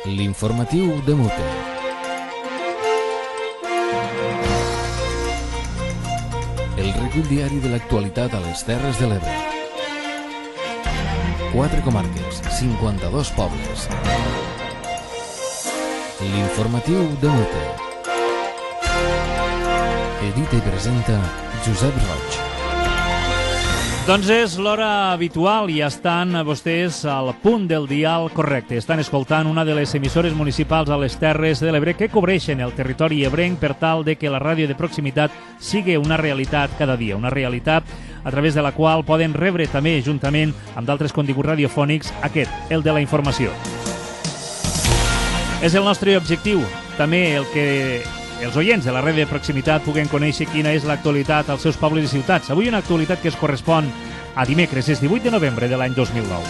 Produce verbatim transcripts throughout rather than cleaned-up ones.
L'informatiu de Mute. El recull diari de l'actualitat a les Terres de l'Ebre. Quatre comarques, cinquanta-dos pobles. L'informatiu de Mute. Edita i presenta Josep Roig. Doncs és l'hora habitual i estan vostès al punt del dial correcte. Estan escoltant una de les emissores municipals a les Terres de l'Ebre que cobreixen el territori ebrenc per tal de que la ràdio de proximitat sigui una realitat cada dia. Una realitat a través de la qual poden rebre també, juntament amb d'altres continguts radiofònics, aquest, el de la informació. És el nostre objectiu, també el que els oients de la ràdio de proximitat puguen conèixer quina és l'actualitat als seus pobles i ciutats. Avui una actualitat que es correspon a dimecres, és divuit de novembre de l'any dos mil nou.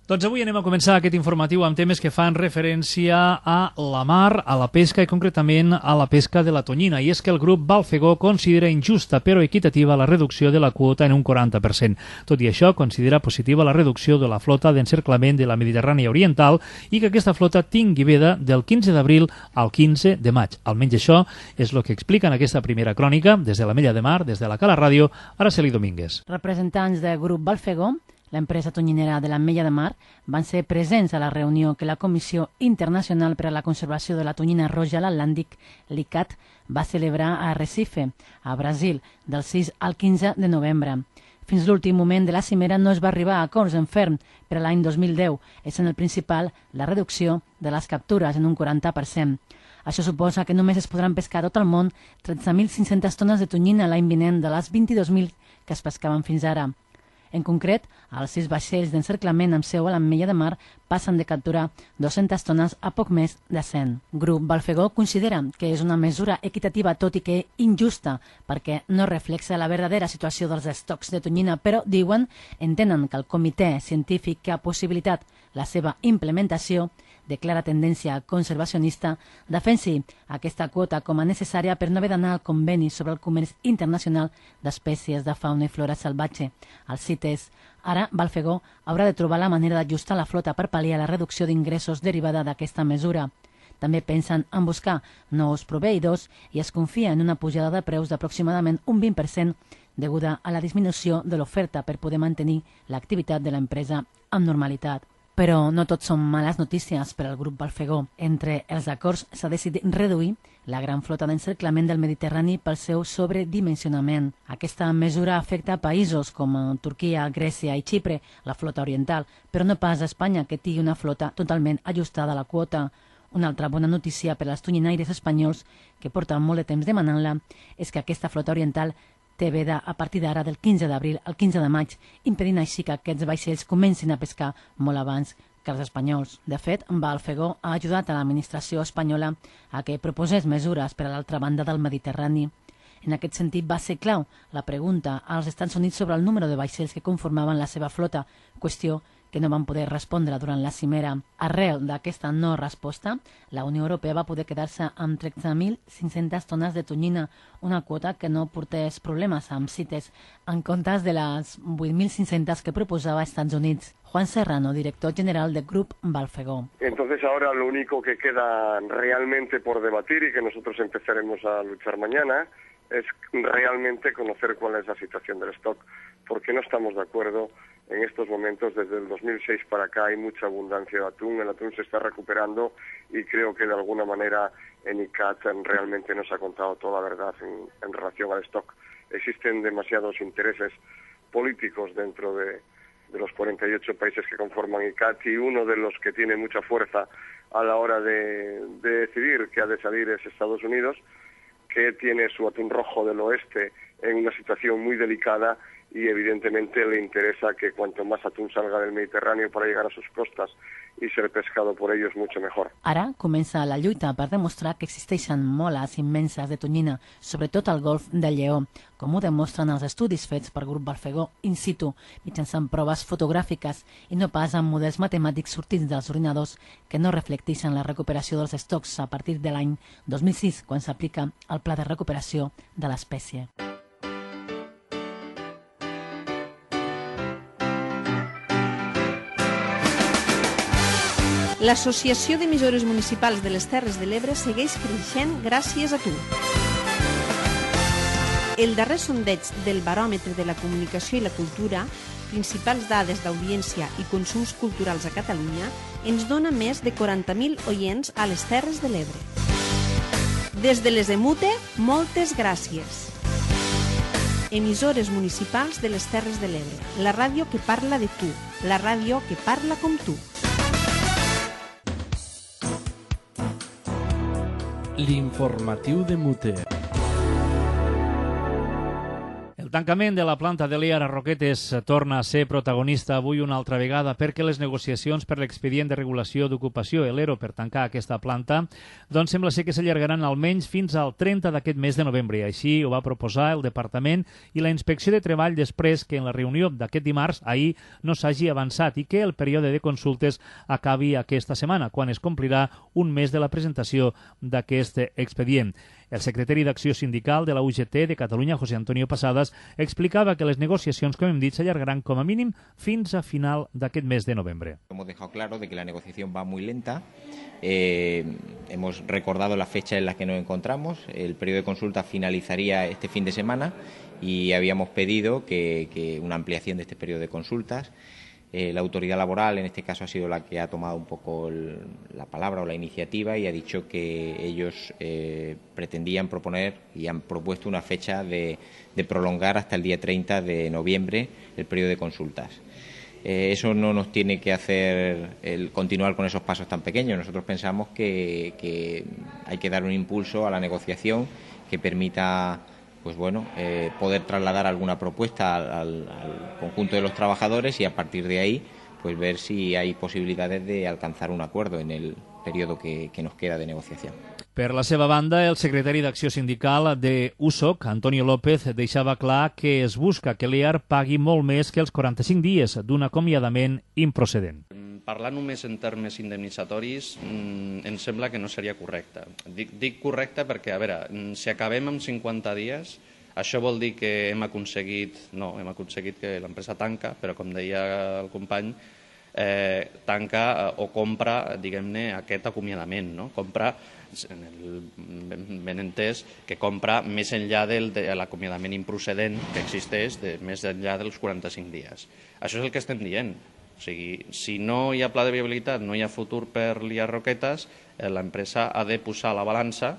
Doncs avui anem a començar aquest informatiu amb temes que fan referència a la mar, a la pesca i concretament a la pesca de la tonyina. I és que el grup Balfegó considera injusta però equitativa la reducció de la quota en un quaranta per cent. Tot i això, considera positiva la reducció de la flota d'encerclament de la Mediterrània Oriental i que aquesta flota tingui veda del quinze d'abril al quinze de maig. Almenys això és el que explica en aquesta primera crònica des de la Mella de Mar, des de la Cala Ràdio, Araceli Domínguez. Representants del grup Balfegó, l'empresa tonyinera de la Mella de Mar, van ser presents a la reunió que la Comissió Internacional per a la Conservació de la Tonyina Roja a l'Atlàntic, l'I C A T, va celebrar a Recife, a Brasil, del sis al quinze de novembre. Fins l'últim moment de la cimera no es va arribar a acords en ferm per a l'any dos mil deu, essent el principal la reducció de les captures en un quaranta per cent. Això suposa que només es podran pescar a tot el món tretze mil cinc-centes tones de tonyina l'any vinent de les vint-i-dos mil que es pescaven fins ara. En concret, els sis vaixells d'encerclament amb seu a la Mella de Mar passen de capturar dues-centes tones a poc més de cent. Grup Balfegó considera que és una mesura equitativa tot i que injusta perquè no reflexa la verdadera situació dels estocs de tonyina, però diuen entenen que el comitè científic que ha possibilitat la seva implementació de clara tendència conservacionista, defensi aquesta quota com a necessària per no haver d'anar al conveni sobre el comerç internacional d'espècies de fauna i flora salvatge, els CITES. Ara, Balfegó haurà de trobar la manera d'ajustar la flota per pal·liar la reducció d'ingressos derivada d'aquesta mesura. També pensen en buscar nous proveïdors i es confia en una pujada de preus d'aproximadament un vint per cent deguda a la disminució de l'oferta per poder mantenir l'activitat de l'empresa amb normalitat. Però no tot són males notícies per al grup Balfegó. Entre els acords s'ha decidit reduir la gran flota d'encerclament del Mediterrani pel seu sobredimensionament. Aquesta mesura afecta a països com Turquia, Grècia i Xipre, la flota oriental, però no pas a Espanya, que tingui una flota totalment ajustada a la quota. Una altra bona notícia per als tonyinaires espanyols, que porten molt de temps demanant-la, és que aquesta flota oriental té veda a partir d'ara del quinze d'abril al quinze de maig, impedint així que aquests vaixells comencin a pescar molt abans que els espanyols. De fet, Balfegó ha ajudat a l'administració espanyola a que proposés mesures per a l'altra banda del Mediterrani. En aquest sentit, va ser clau la pregunta als Estats Units sobre el número de vaixells que conformaven la seva flota, qüestió que no van poder respondre durant la cimera. Arrel d'aquesta no resposta, la Unió Europea va poder quedar-se amb tretze mil cinc-centes tones de tonyina, una quota que no portés problemes amb CITES, en comptes de les vuit mil cinc-centes que proposava Estats Units. Juan Serrano, director general del Grup Balfegó. Entonces ahora lo único que queda realmente por debatir y que nosotros empezaremos a luchar mañana es realmente conocer cuál es la situación del stock, porque no estamos de acuerdo. En estos momentos, desde el dos mil seis para acá, hay mucha abundancia de atún. El atún se está recuperando y creo que de alguna manera en I C A T realmente nos ha contado toda la verdad en, en relación al stock. Existen demasiados intereses políticos dentro de, de los cuarenta y ocho países que conforman I C A T y uno de los que tiene mucha fuerza a la hora de, de decidir qué ha de salir es Estados Unidos, que tiene su atún rojo del oeste en una situación muy delicada y evidentemente le interesa que cuanto más atún salga del Mediterráneo para llegar a sus costas i ser pescado por ellos mucho mejor. Ara comença la lluita per demostrar que existeixen moles immenses de tonyina, sobretot al golf del Lleó, com ho demostren els estudis fets per Grup Balfegó in situ, mitjançant proves fotogràfiques i no pas amb models matemàtics sortits dels ordinadors que no reflecteixen la recuperació dels estocs a partir de l'any dos mil sis, quan s'aplica el Pla de Recuperació de l'Espècie. L'Associació d'Emissores Municipals de les Terres de l'Ebre segueix creixent gràcies a tu. El darrer sondeig del Baròmetre de la Comunicació i la Cultura, principals dades d'audiència i consums culturals a Catalunya, ens dona més de quaranta mil oients a les Terres de l'Ebre. Des de les EMUTE, moltes gràcies. Emissores municipals de les Terres de l'Ebre, la ràdio que parla de tu, la ràdio que parla com tu. L'informatiu de Mute. El tancament de la planta de l'E A R a Roquetes torna a ser protagonista avui una altra vegada perquè les negociacions per l'expedient de regulació d'ocupació, l'E R O, per tancar aquesta planta, doncs sembla ser que s'allargaran almenys fins al trenta d'aquest mes de novembre. Així ho va proposar el Departament i la Inspecció de Treball després que en la reunió d'aquest dimarts, ahir, no s'hagi avançat i que el període de consultes acabi aquesta setmana, quan es complirà un mes de la presentació d'aquest expedient. El secretari d'Acció Sindical de la U G T de Catalunya, José Antonio Pasadas, explicava que les negociacions, com hem dit, s'allargaran com a mínim fins a final d'aquest mes de novembre. Hemos dejado claro de que la negociación va muy lenta. Eh, hemos recordado la fecha en la que nos encontramos. El periodo de consulta finalizaría este fin de semana y habíamos pedido que, que una ampliación de este periodo de consultas. Eh, la autoridad laboral, en este caso, ha sido la que ha tomado un poco el, la palabra o la iniciativa y ha dicho que ellos eh, pretendían proponer y han propuesto una fecha de, de prolongar hasta el día treinta de noviembre el periodo de consultas. Eh, eso no nos tiene que hacer el continuar con esos pasos tan pequeños. Nosotros pensamos que, que hay que dar un impulso a la negociación que permita pues bueno, eh, poder trasladar alguna propuesta al, al, al conjunto de los trabajadores y a partir de ahí pues ver si hay posibilidades de alcanzar un acuerdo en el periodo que, que nos queda de negociación. Per la seva banda, el secretari d'Acció Sindical de U S O C, Antonio López, deixava clar que es busca que l'E A R pagui molt més que els quaranta-cinc dies d'un acomiadament improcedent. Parlar només en termes indemnitzatoris mmm, em sembla que no seria correcte. Dic, dic correcte perquè, a veure, si acabem amb cinquanta dies, això vol dir que hem aconseguit, no, hem aconseguit que l'empresa tanca, però com deia el company, eh, tanca eh, o compra, diguem-ne, aquest acomiadament, no? Compra, en el, ben, ben entès, que compra més enllà del, de l'acomiadament improcedent que existeix, de, més enllà dels quaranta-cinc dies. Això és el que estem dient. O sigui, si no hi ha pla de viabilitat, no hi ha futur per l'I A R Roquetes, eh, l'empresa ha de posar a la balança,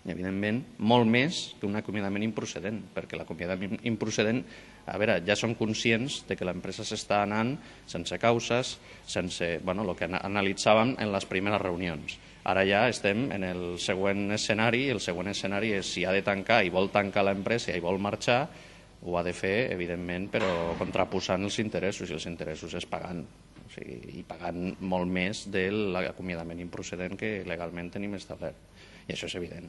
evidentment, molt més que un acomiadament improcedent, perquè l'acomiadament improcedent, a veure, ja som conscients de que l'empresa s'està anant sense causes, sense, bueno, el que analitzàvem en les primeres reunions. Ara ja estem en el següent escenari, i el següent escenari és si ha de tancar i vol tancar l'empresa i vol marxar, ho ha de fer, evidentment, però contraposant els interessos, i els interessos és pagant, o sigui, i pagant molt més de l'acomiadament improcedent que legalment tenim establert. I això és evident.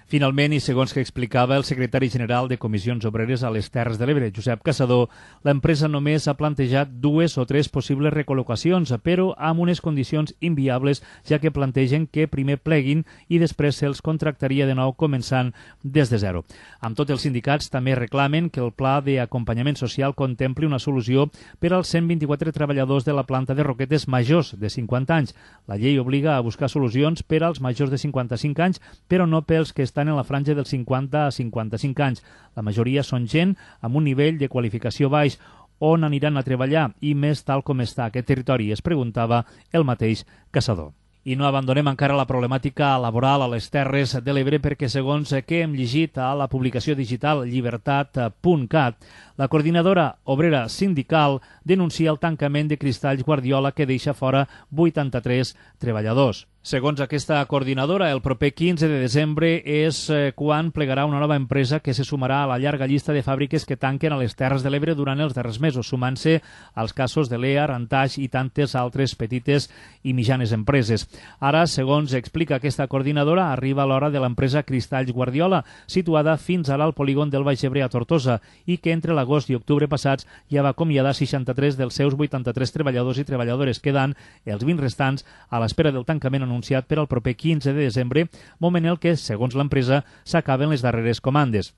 Finalment, i segons que explicava el secretari general de Comissions Obreres a les Terres de l'Ebre, Josep Caçador, l'empresa només ha plantejat dues o tres possibles recol·locacions, però amb unes condicions inviables, ja que plantegen que primer pleguin i després se'ls contractaria de nou començant des de zero. Amb tot, els sindicats també reclamen que el pla d'acompanyament social contempli una solució per als cent vint-i-quatre treballadors de la planta de Roquetes majors de cinquanta anys. La llei obliga a buscar solucions per als majors de cinquanta-cinc anys, però no pels que estan estan en la franja dels cinquanta a cinquanta-cinc anys. La majoria són gent amb un nivell de qualificació baix. On aniran a treballar i més tal com està aquest territori, es preguntava el mateix Caçador. I no abandonem encara la problemàtica laboral a les Terres de l'Ebre perquè, segons que hem llegit a la publicació digital llibertat punt cat, la coordinadora obrera sindical denuncia el tancament de Cristalls Guardiola que deixa fora vuitanta-tres treballadors. Segons aquesta coordinadora, el proper quinze de desembre és quan plegarà una nova empresa que se sumarà a la llarga llista de fàbriques que tanquen a les Terres de l'Ebre durant els darrers mesos, sumant-se als casos de l'E A R, Antaix i tantes altres petites i mitjanes empreses. Ara, segons explica aquesta coordinadora, arriba l'hora de l'empresa Cristalls Guardiola, situada fins ara al polígon del Baix Ebre a Tortosa, i que entre l'agost i octubre passats ja va acomiadar seixanta-tres dels seus vuitanta-tres treballadors i treballadores, quedant els vint restants a l'espera del tancament anunciat per al proper quinze de desembre, moment en el que, segons l'empresa, s'acaben les darreres comandes.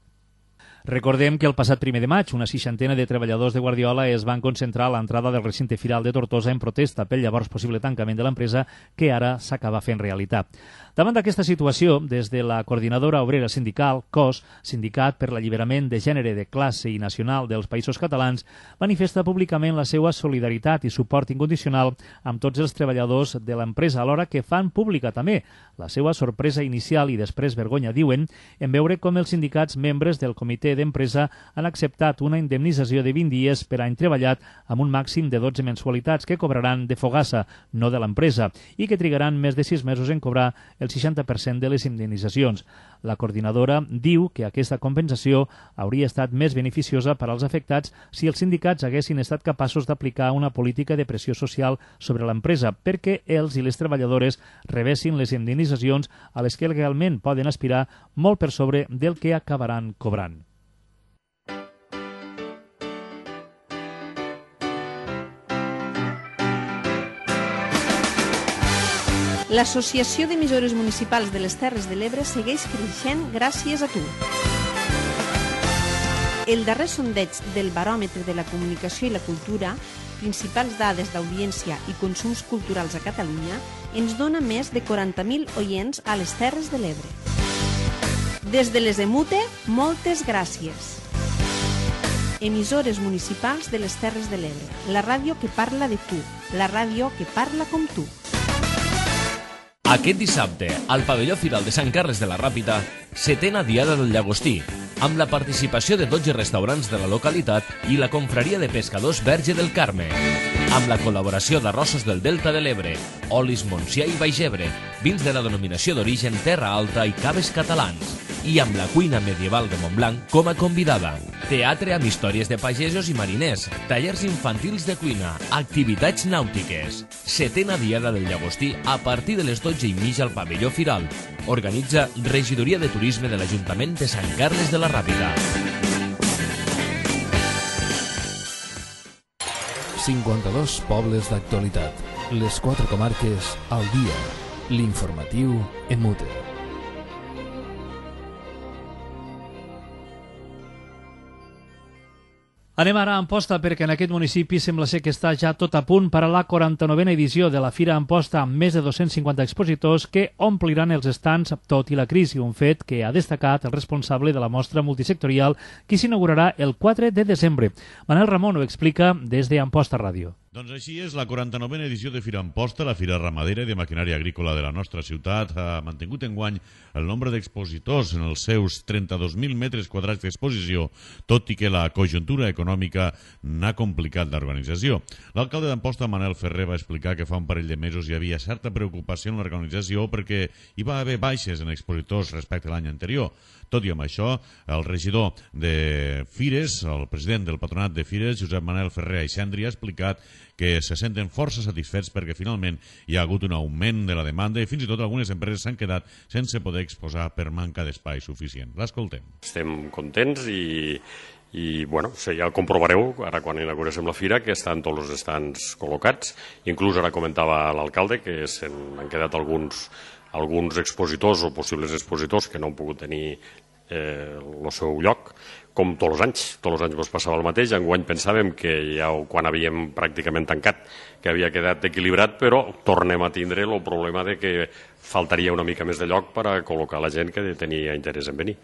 Recordem que el passat primer de maig una seixantena de treballadors de Guardiola es van concentrar a l'entrada del recinte firal de Tortosa en protesta pel llavors possible tancament de l'empresa que ara s'acaba fent realitat. Davant d'aquesta situació, des de la Coordinadora Obrera Sindical, C O S, Sindicat per l'Alliberament de Gènere de Classe i Nacional dels Països Catalans, manifesta públicament la seva solidaritat i suport incondicional amb tots els treballadors de l'empresa, alhora que fan pública també la seva sorpresa inicial i després vergonya, diuen, en veure com els sindicats membres del comitè d'empresa han acceptat una indemnització de vint dies per any treballat amb un màxim de dotze mensualitats que cobraran de fogassa, no de l'empresa, i que trigaran més de sis mesos en cobrar el seixanta per cent de les indemnitzacions. La coordinadora diu que aquesta compensació hauria estat més beneficiosa per als afectats si els sindicats haguessin estat capaços d'aplicar una política de pressió social sobre l'empresa perquè els i les treballadores rebessin les indemnitzacions a les que legalment poden aspirar molt per sobre del que acabaran cobrant. L'Associació d'Emissores Municipals de les Terres de l'Ebre segueix creixent gràcies a tu. El darrer sondeig del Baròmetre de la Comunicació i la Cultura, principals dades d'audiència i consums culturals a Catalunya, ens dona més de quaranta mil oients a les Terres de l'Ebre. Des de les EMUTE, moltes gràcies. Emissores municipals de les Terres de l'Ebre, la ràdio que parla de tu, la ràdio que parla com tu. Aquest dissabte, al pavelló Firal de Sant Carles de la Ràpita, setena Diada del Llagostí, amb la participació de dotze restaurants de la localitat i la confraria de pescadors Verge del Carme, amb la col·laboració d'Arrossos del Delta de l'Ebre, Olis Montsià i Baix Ebre, vins de la denominació d'origen Terra Alta i caves catalans, i amb la cuina medieval de Montblanc com a convidada. Teatre amb històries de pagesos i mariners, tallers infantils de cuina, activitats nàutiques. Setena Diada del Llagostí a partir de les dotze i mitja al pavelló Firal. Organitza Regidoria de Turisme de l'Ajuntament de Sant Carles de la Ràpita. cinquanta-dos pobles d'actualitat. Les quatre comarques al dia. L'informatiu EMUTE. Anem ara a Amposta perquè en aquest municipi sembla ser que està ja tot a punt per a la quaranta-novena edició de la Fira Amposta amb més de dos-cents cinquanta expositors que ompliran els estants tot i la crisi, un fet que ha destacat el responsable de la mostra multisectorial que s'inaugurarà el quatre de desembre. Manel Ramon ho explica des de Amposta Ràdio. Doncs així és, la quaranta-novena edició de Fira Amposta, la fira ramadera i de maquinària agrícola de la nostra ciutat, ha mantingut enguany el nombre d'expositors en els seus trenta-dos mil metres quadrats d'exposició, tot i que la conjuntura econòmica n'ha complicat l'organització. L'alcalde d'Amposta, Manel Ferrer, va explicar que fa un parell de mesos hi havia certa preocupació en l'organització perquè hi va haver baixes en expositors respecte a l'any anterior. Tot i amb això, el regidor de Fires, el president del Patronat de Fires, Josep Manel Ferrer Aixendri, ha explicat que se senten força satisfets perquè finalment hi ha hagut un augment de la demanda i fins i tot algunes empreses s'han quedat sense poder exposar per manca d'espai suficient. L'escoltem. Estem contents i, i bueno, ja comprovareu ara quan inauguréssim la fira que estan tots els estants col·locats. Inclús ara comentava l'alcalde que s'han quedat alguns alguns expositors o possibles expositors que no han pogut tenir eh, el seu lloc, com tots els anys. Tots els anys ens passava el mateix. Enguany pensàvem que ja quan havíem pràcticament tancat que havia quedat equilibrat, però tornem a tindre el problema de que faltaria una mica més de lloc per a col·locar la gent que tenia interès en venir.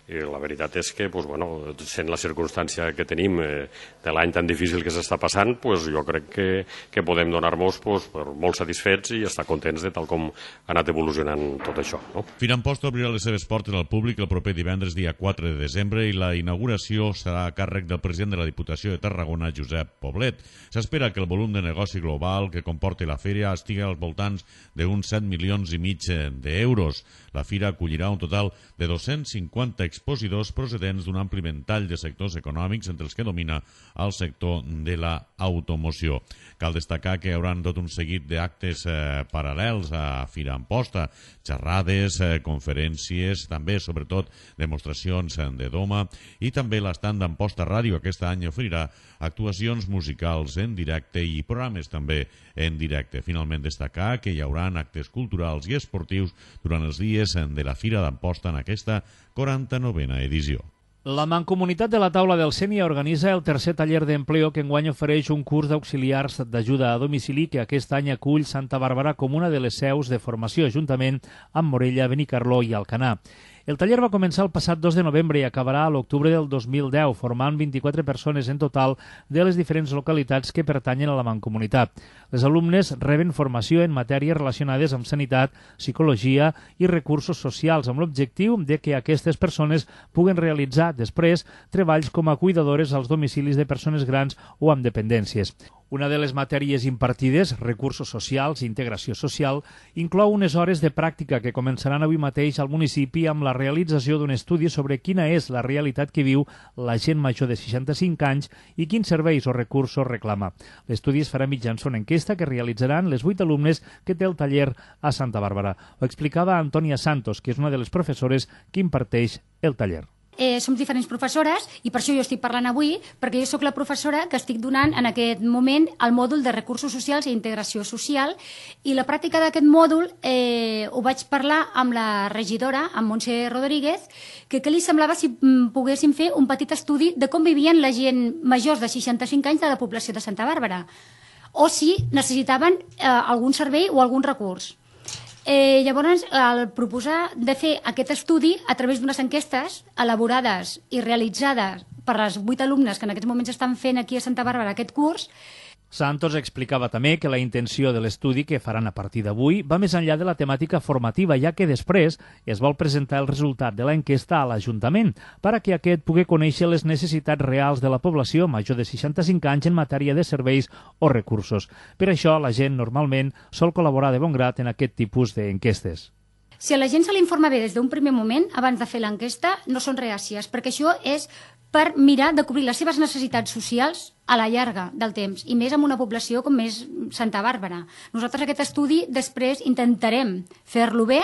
I la veritat és que, doncs, bueno, sent la circumstància que tenim eh, de l'any tan difícil que s'està passant, doncs, jo crec que, que podem donar-nos doncs, molt satisfets i estar contents de tal com ha anat evolucionant tot això. No? Fira Amposta obrirà les seves portes al públic el proper divendres dia quatre de desembre i la inauguració serà a càrrec del president de la Diputació de Tarragona, Josep Poblet. S'espera que el volum de negoci global que comporti la fira estigui als voltants d'uns set milions i mig d'euros. La fira acollirà un total de dos-cents cinquanta expositors procedents d'un ampli ventall de sectors econòmics, entre els que domina el sector de l'automoció. Cal destacar que hi haurà tot un seguit d'actes eh, paral·lels a Fira Amposta, xerrades, eh, conferències, també, sobretot, demostracions de doma, i també l'estand d'Amposta Ràdio aquest any oferirà actuacions musicals en directe i programes també en directe. Finalment, destacar que hi haurà actes culturals i esportius durant els dies de la Fira d'Amposta en aquesta quaranta-novena edició. La Mancomunitat de la Taula del Sénia organitza el tercer taller d'empleo que enguany ofereix un curs d'auxiliars d'ajuda a domicili que aquest any acull Santa Bàrbara com una de les seus de formació, juntament amb Morella, Benicarló i Alcanar. El taller va començar el passat dos de novembre i acabarà a l'octubre del dos mil deu, formant vint-i-quatre persones en total de les diferents localitats que pertanyen a la Mancomunitat. Les alumnes reben formació en matèries relacionades amb sanitat, psicologia i recursos socials, amb l'objectiu de que aquestes persones puguen realitzar després treballs com a cuidadores als domicilis de persones grans o amb dependències. Una de les matèries impartides, recursos socials i integració social, inclou unes hores de pràctica que començaran avui mateix al municipi amb la realització d'un estudi sobre quina és la realitat que viu la gent major de seixanta-cinc anys i quins serveis o recursos reclama. L'estudi es farà mitjançant una enquesta que realitzaran les vuit alumnes que té el taller a Santa Bàrbara. Ho explicava Antònia Santos, que és una de les professores que imparteix el taller. Eh, som diferents professores i per això jo estic parlant avui, perquè jo sóc la professora que estic donant en aquest moment el mòdul de recursos socials i integració social, i la pràctica d'aquest mòdul eh, ho vaig parlar amb la regidora, amb Montse Rodríguez, que què li semblava si mm, poguéssim fer un petit estudi de com vivien la gent majors de seixanta-cinc anys de la població de Santa Bàrbara, o si necessitaven eh, algun servei o algun recurs. Eh, llavors, el proposar de fer aquest estudi a través d'unes enquestes elaborades i realitzades per les vuit alumnes que en aquests moments estan fent aquí a Santa Bàrbara aquest curs. Santos explicava també que la intenció de l'estudi que faran a partir d'avui va més enllà de la temàtica formativa, ja que després es vol presentar el resultat de l'enquesta a l'Ajuntament perquè aquest pugui conèixer les necessitats reals de la població major de seixanta-cinc anys en matèria de serveis o recursos. Per això, la gent normalment sol col·laborar de bon grat en aquest tipus d'enquestes. Si a la gent se l'informa bé des d'un primer moment, abans de fer l'enquesta, no són reàcies, perquè això és per mirar de cobrir les seves necessitats socials a la llarga del temps, i més amb una població com és Santa Bàrbara. Nosaltres aquest estudi després intentarem fer-lo bé,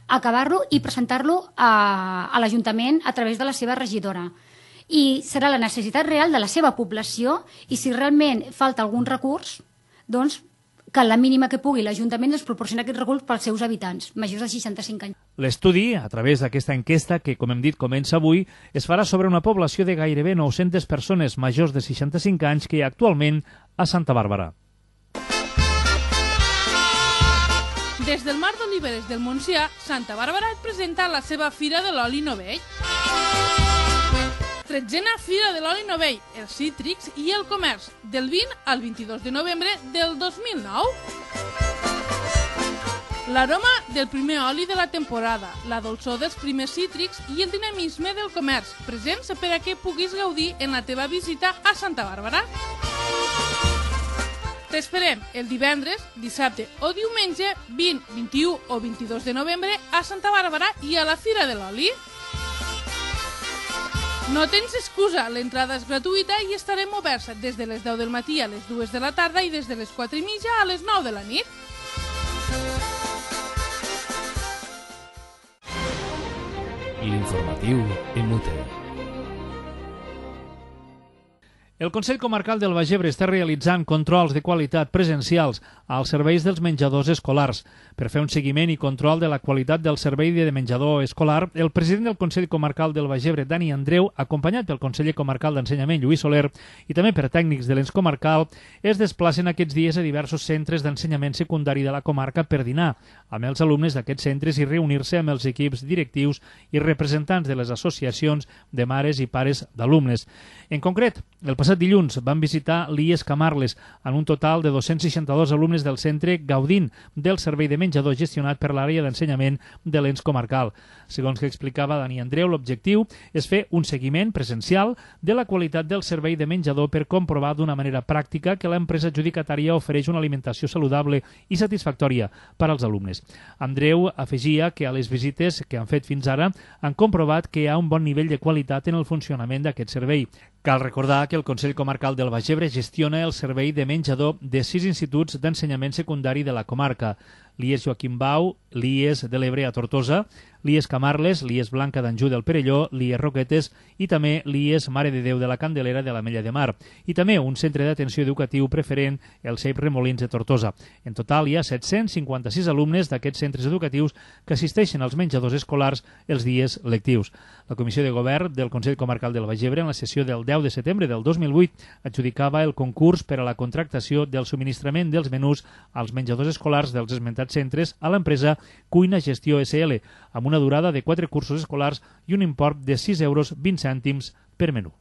acabar-lo i presentar-lo a, a l'Ajuntament a través de la seva regidora. I serà la necessitat real de la seva població, i si realment falta algun recurs, doncs que la mínima que pugui l'Ajuntament ens proporciona aquest recurs pels seus habitants, majors de seixanta-cinc anys. L'estudi, a través d'aquesta enquesta, que com hem dit comença avui, es farà sobre una població de gairebé nou-centes persones majors de seixanta-cinc anys que hi ha actualment a Santa Bàrbara. Des del Mar d'Oliveres del Montsià, Santa Bàrbara et presenta la seva Fira de l'Oli Novell. tretzena Fira de l'Oli Novell, els cítrics i el comerç, del vint al vint-i-dos de novembre del dos mil nou. L'aroma del primer oli de la temporada, la dolçor dels primers cítrics i el dinamisme del comerç, presents per a que puguis gaudir en la teva visita a Santa Bàrbara. T'esperem el divendres, dissabte o diumenge vint, vint-i-u o vint-i-dos de novembre a Santa Bàrbara i a la Fira de l'Oli. No tens excusa, l'entrada és gratuïta i estarem oberts des de les deu del matí a les dues de la tarda i des de les quatre i mitja a les nou de la nit. L'informatiu en Mute. El Consell Comarcal del Baix Ebre està realitzant controls de qualitat presencials als serveis dels menjadors escolars. Per fer un seguiment i control de la qualitat del servei de menjador escolar, el president del Consell Comarcal del Baix Ebre, Dani Andreu, acompanyat pel conseller comarcal d'Ensenyament, Lluís Soler, i també per tècnics de l'ens comarcal, es desplacen aquests dies a diversos centres d'ensenyament secundari de la comarca per dinar amb els alumnes d'aquests centres i reunir-se amb els equips directius i representants de les associacions de mares i pares d'alumnes. En concret, el passat dilluns van visitar l'I E S Camarles en un total de dos-cents seixanta-dos alumnes del centre gaudint del servei de menjador gestionat per l'àrea d'ensenyament de l'ens comarcal. Segons que explicava Dani Andreu, l'objectiu és fer un seguiment presencial de la qualitat del servei de menjador per comprovar d'una manera pràctica que l'empresa adjudicatària ofereix una alimentació saludable i satisfactòria per als alumnes. Andreu afegia que a les visites que han fet fins ara han comprovat que hi ha un bon nivell de qualitat en el funcionament d'aquest servei. Cal recordar que el Consell Comarcal del Baix Ebre gestiona el servei de menjador de sis instituts d'ensenyament secundari de la comarca. l'I E S Joaquim Bau, l'I E S de l'Ebre a Tortosa, l'I E S Camarles, l'I E S Blanca d'Anjou del Perelló, l'I E S Roquetes i també l'I E S Mare de Déu de la Candelera de l'Ametlla de Mar i també un centre d'atenció educatiu preferent, el C E P Remolins de Tortosa. En total hi ha set-cents cinquanta-sis alumnes d'aquests centres educatius que assisteixen als menjadors escolars els dies lectius. La Comissió de Govern del Consell Comarcal del Baix Ebre, en la sessió del deu de setembre del dos mil vuit, adjudicava el concurs per a la contractació del subministrament dels menús als menjadors escolars dels esmentats centres a l'empresa Cuina Gestió S L, amb una durada de quatre cursos escolars i un import de sis euros vint cèntims per menú.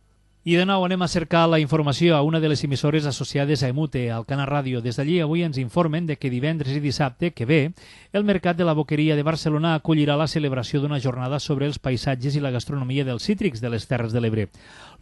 I de nou anem a cercar la informació a una de les emissores associades a Emute, al Cana Ràdio. Des d'allí avui ens informen de que divendres i dissabte que ve el Mercat de la Boqueria de Barcelona acollirà la celebració d'una jornada sobre els paisatges i la gastronomia dels cítrics de les Terres de l'Ebre.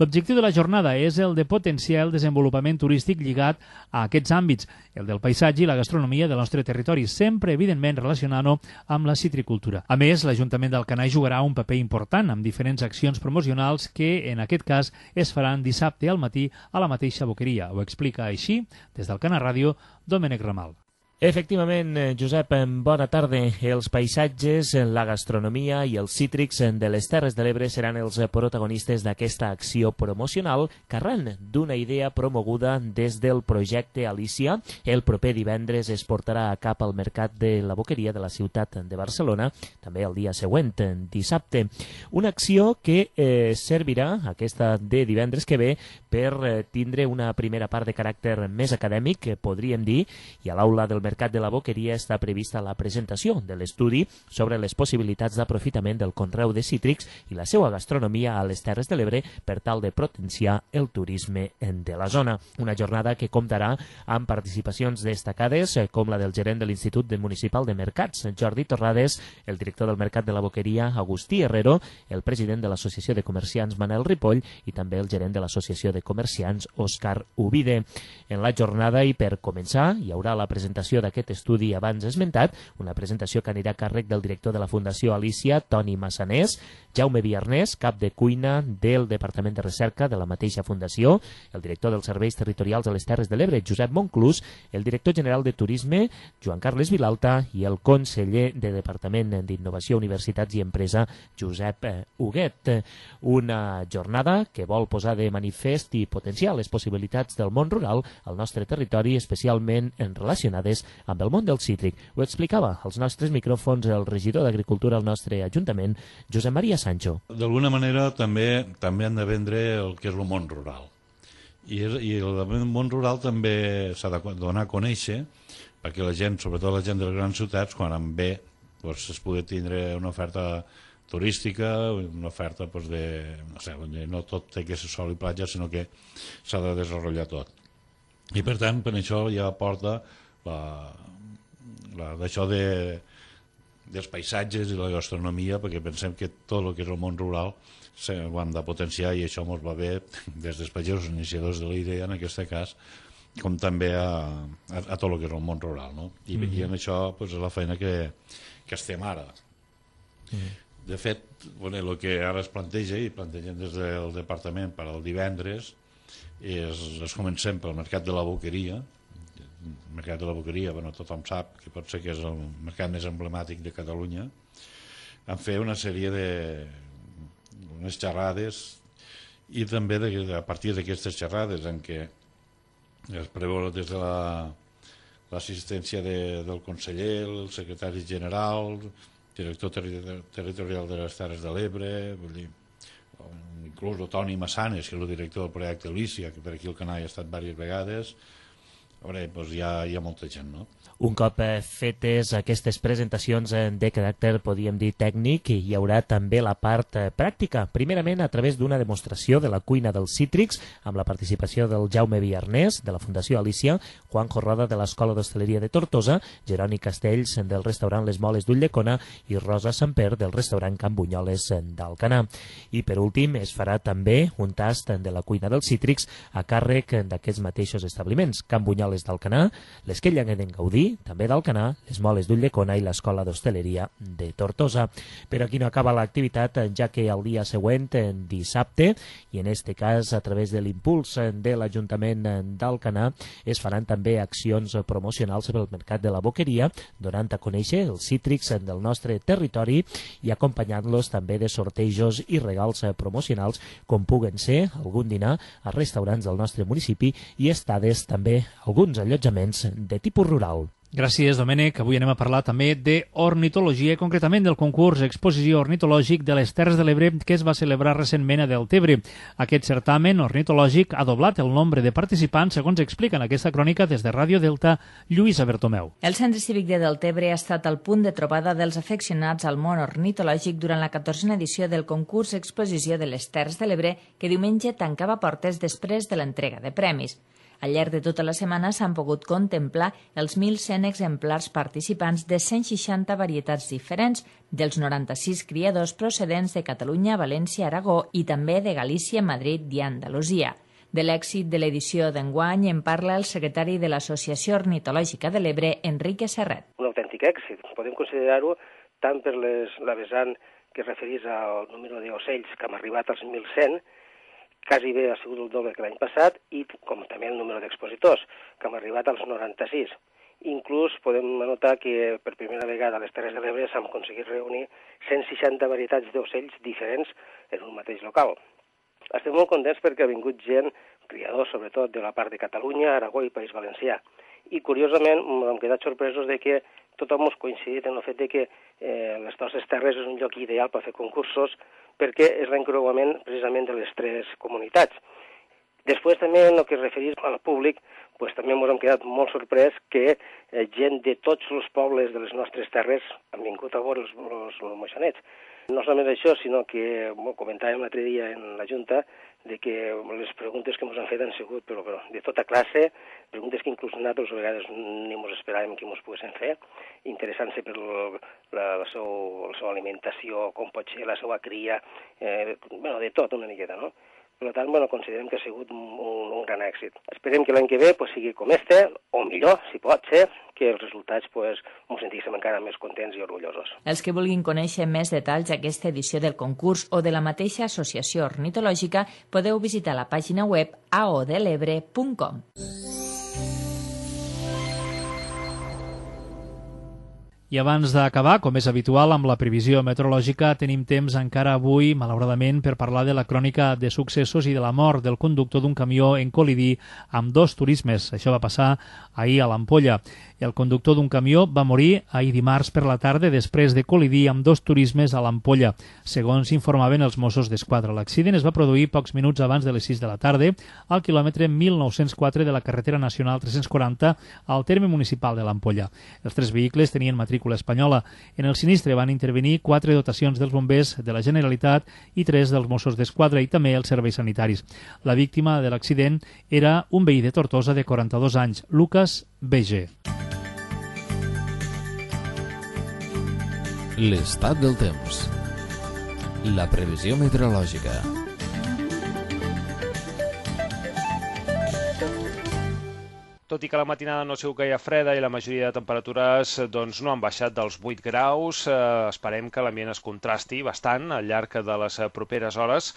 L'objectiu de la jornada és el de potenciar el desenvolupament turístic lligat a aquests àmbits, el del paisatge i la gastronomia del nostre territori, sempre evidentment relacionant-ho amb la citricultura. A més, l'Ajuntament d'Alcanar jugarà un paper important amb diferents accions promocionals que, en aquest cas, es faran dissabte al matí a la mateixa boqueria. Ho explica així, des del Cana Ràdio, Domènec Ramal. Efectivament, Josep, bona tarda. Els paisatges, la gastronomia i els cítrics de les Terres de l'Ebre seran els protagonistes d'aquesta acció promocional que arran d'una idea promoguda des del projecte Alícia. El proper divendres es portarà a cap al Mercat de la Boqueria de la ciutat de Barcelona, també el dia següent, dissabte. Una acció que eh, servirà, aquesta de divendres que ve, per eh, tindre una primera part de caràcter més acadèmic, podríem dir, i a l'aula del Mercat de la Boqueria està prevista la presentació de l'estudi sobre les possibilitats d'aprofitament del conreu de cítrics i la seva gastronomia a les Terres de l'Ebre per tal de potenciar el turisme de la zona. Una jornada que comptarà amb participacions destacades com la del gerent de l'Institut Municipal de Mercats, Jordi Torrades, el director del Mercat de la Boqueria, Agustí Herrero, el president de l'Associació de Comerciants, Manel Ripoll, i també el gerent de l'Associació de Comerciants, Òscar Ubide. En la jornada i per començar hi haurà la presentació d'aquest estudi abans esmentat, una presentació que anirà a càrrec del director de la Fundació Alícia, Toni Massanés, Jaume Viarnés, cap de cuina del Departament de Recerca de la mateixa Fundació, el director dels Serveis Territorials a les Terres de l'Ebre, Josep Monclús, el director general de Turisme, Joan Carles Vilalta, i el conseller de Departament d'Innovació, Universitats i Empresa, Josep Huguet. Una jornada que vol posar de manifest i potenciar les possibilitats del món rural al nostre territori, especialment relacionades amb el món del cítric. Ho explicava als nostres micròfons el regidor d'Agricultura al nostre Ajuntament, Josep Maria Sancho. D'alguna manera també també han de vendre el que és el món rural. I, i el món rural també s'ha de donar a conèixer perquè la gent, sobretot la gent de les grans ciutats, quan en ve, doncs, es pugui tindre una oferta turística, una oferta doncs, de... No sé, no tot té que ser sol i platja, sinó que s'ha de desenvolupar tot. I per tant, per això ja porta la, la, d'això de, dels paisatges i la gastronomia, perquè pensem que tot el que és el món rural ho hem de potenciar i això ens va bé des dels pagesos iniciadors de la idea, en aquest cas, com també a, a, a tot el que és el món rural. No? I, mm-hmm. i en això pues, és la feina que, que estem ara. Mm-hmm. De fet, bueno, el que ara es planteja i plantegem des del departament per al divendres és, es comencem pel Mercat de la Boqueria. El Mercat de la Boqueria, bueno, tothom sap que pot ser que és el mercat més emblemàtic de Catalunya. Vam fer una sèrie de unes xerrades i també de, a partir d'aquestes xerrades en què es preveu des de la, l'assistència de, del conseller, el secretari general, director terri territorial de les Terres de l'Ebre, vull dir, inclús el Toni Massanes, que és el director del projecte Alícia, que per aquí al canal ha estat diverses vegades. A veure, doncs hi ha, hi ha molta gent, no? Un cop fetes aquestes presentacions de caràcter, podríem dir, tècnic, hi haurà també la part pràctica, primerament a través d'una demostració de la cuina dels cítrics, amb la participació del Jaume Viarnés, de la Fundació Alícia, Juanjo Roda, de l'Escola d'Hostaleria de Tortosa, Jeroni Castells, del restaurant Les Moles d'Ulldecona, i Rosa Samper, del restaurant Can Bunyoles d'Alcanar. I per últim, es farà també un tast de la cuina dels cítrics a càrrec d'aquests mateixos establiments, Can Bunyoles moles d'Alcanar, les que lleguen Gaudí, també d'Alcanar, les moles d'Ulldecona i l'Escola d'Hostaleria de Tortosa. Però aquí no acaba l'activitat, ja que el dia següent, dissabte, i en este cas a través de l'impuls de l'Ajuntament d'Alcanar, es faran també accions promocionals pel mercat de la Boqueria, donant a conèixer els cítrics del nostre territori i acompanyant-los també de sortejos i regals promocionals com puguen ser algun dinar a restaurants del nostre municipi i estades també alguns allotjaments de tipus rural. Gràcies, Domènec. Avui anem a parlar també d'ornitologia, concretament del concurs Exposició Ornitològic de les Terres de l'Ebre que es va celebrar recentment a Deltebre. Aquest certamen ornitològic ha doblat el nombre de participants, segons explica en aquesta crònica des de Ràdio Delta, Lluïsa Bertomeu. El Centre Cívic de Deltebre ha estat el punt de trobada dels afeccionats al món ornitològic durant la catorzena edició del concurs Exposició de les Terres de l'Ebre, que diumenge tancava portes després de l'entrega de premis. Al llarg de tota la setmana s'han pogut contemplar els mil cent exemplars participants de cent seixanta varietats diferents, dels noranta-sis criadors procedents de Catalunya, València, Aragó i també de Galícia, Madrid i Andalusia. De l'èxit de l'edició d'enguany en parla el secretari de l'Associació Ornitològica de l'Ebre, Enrique Serret. Un autèntic èxit. Podem considerar-ho tant per les, la vessant que es referís al número d'ocells que hem arribat als mil cent, quasi bé ha sigut el doble que l'any passat, i com també el número d'expositors, que hem arribat als noranta-sis. Inclús podem notar que per primera vegada a les Terres de l'Ebre s'han aconseguit reunir cent seixanta varietats d'ocells diferents en un mateix local. Estem molt contents perquè ha vingut gent, criadors sobretot de la part de Catalunya, Aragó i País Valencià. I curiosament hem quedat sorpresos de que tothom hemos coincidit en el fet de que eh, les nostres terres és un lloc ideal per fer concursos perquè és l'encreuament precisament de les tres comunitats. Després també en el que es referís al públic, pues, també ens hem quedat molt sorprès que eh, gent de tots els pobles de les nostres terres han vingut a veure els, els, els moixonets. No solament això, sinó que bueno, comentàvem l'altre dia en la Junta de que les preguntes que ens han fet han sigut però, però, de tota classe, preguntes que inclús nosaltres a vegades ni ens esperàvem que ens poguessin fer, interessant-se per la, la, seu, la seva alimentació, com pot ser la seva cria, eh, bueno, de tot una miqueta, no? Per tant, bueno, considerem que ha sigut un, un, un gran èxit. Esperem que l'any que ve pues, sigui com este, o millor, si pot ser, que els resultats pues, ens sentíssim encara més contents i orgullosos. Els que vulguin conèixer més detalls d'aquesta edició del concurs o de la mateixa associació ornitològica podeu visitar la pàgina web a o de l'ebre punt com. I abans d'acabar, com és habitual amb la previsió meteorològica, tenim temps encara avui, malauradament, per parlar de la crònica de successos i de la mort del conductor d'un camió en col·lidir amb dos turismes. Això va passar ahir a l'Ampolla. El conductor d'un camió va morir ahir dimarts per la tarda després de col·lidir amb dos turismes a l'Ampolla, segons informaven els Mossos d'Esquadra. L'accident es va produir pocs minuts abans de les sis de la tarda al quilòmetre mil nou-cents quatre de la carretera nacional tres-cents quaranta al terme municipal de l'Ampolla. Els tres vehicles tenien matrícula espanyola. En el sinistre van intervenir quatre dotacions dels bombers de la Generalitat i tres dels Mossos d'Esquadra i també els serveis sanitaris. La víctima de l'accident era un veí de Tortosa de quaranta-dos anys, Lucas B G. L'estat del temps. La previsió meteorològica. Tot i que la matinada no ha sigut gaire freda i la majoria de temperatures doncs, no han baixat dels vuit graus, eh, esperem que l'ambient es contrasti bastant al llarg de les properes hores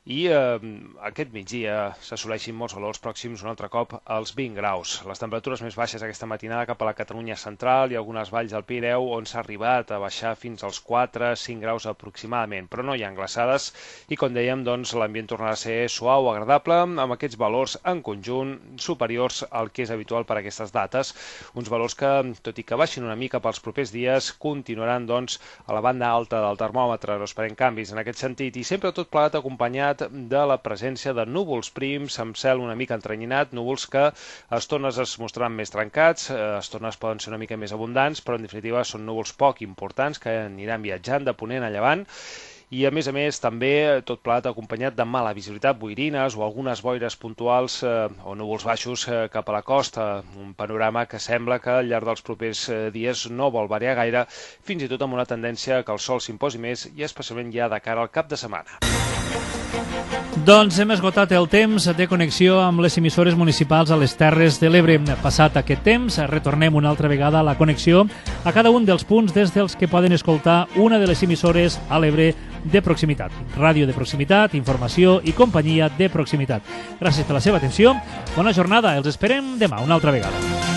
i eh, aquest migdia s'assoleixin molts valors pròxims un altre cop als vint graus. Les temperatures més baixes aquesta matinada cap a la Catalunya central i algunes valls del Pirineu on s'ha arribat a baixar fins als quatre a cinc graus aproximadament, però no hi ha glaçades i com dèiem doncs, l'ambient tornarà a ser suau, agradable, amb aquests valors en conjunt superiors al que és habitual per a aquestes dates, uns valors que, tot i que baixin una mica pels propers dies, continuaran doncs, a la banda alta del termòmetre, no esperem canvis en aquest sentit i sempre tot plegat acompanyat de la presència de núvols prims amb cel una mica entrenyinat, núvols que a estones es mostraran més trencats, a estones poden ser una mica més abundants, però en definitiva són núvols poc importants que aniran viatjant de ponent a llevant i a més a més també tot plegat acompanyat de mala visibilitat, boirines o algunes boires puntuals eh, o núvols baixos eh, cap a la costa, un panorama que sembla que al llarg dels propers eh, dies no vol variar gaire, fins i tot amb una tendència que el sol s'imposi més i especialment ja de cara al cap de setmana. Doncs hem esgotat el temps de connexió amb les emissores municipals a les Terres de l'Ebre. Passat aquest temps, retornem una altra vegada a la connexió a cada un dels punts des dels que poden escoltar una de les emissores a l'Ebre de proximitat. Ràdio de proximitat, informació i companyia de proximitat. Gràcies per la seva atenció. Bona jornada. Els esperem demà una altra vegada.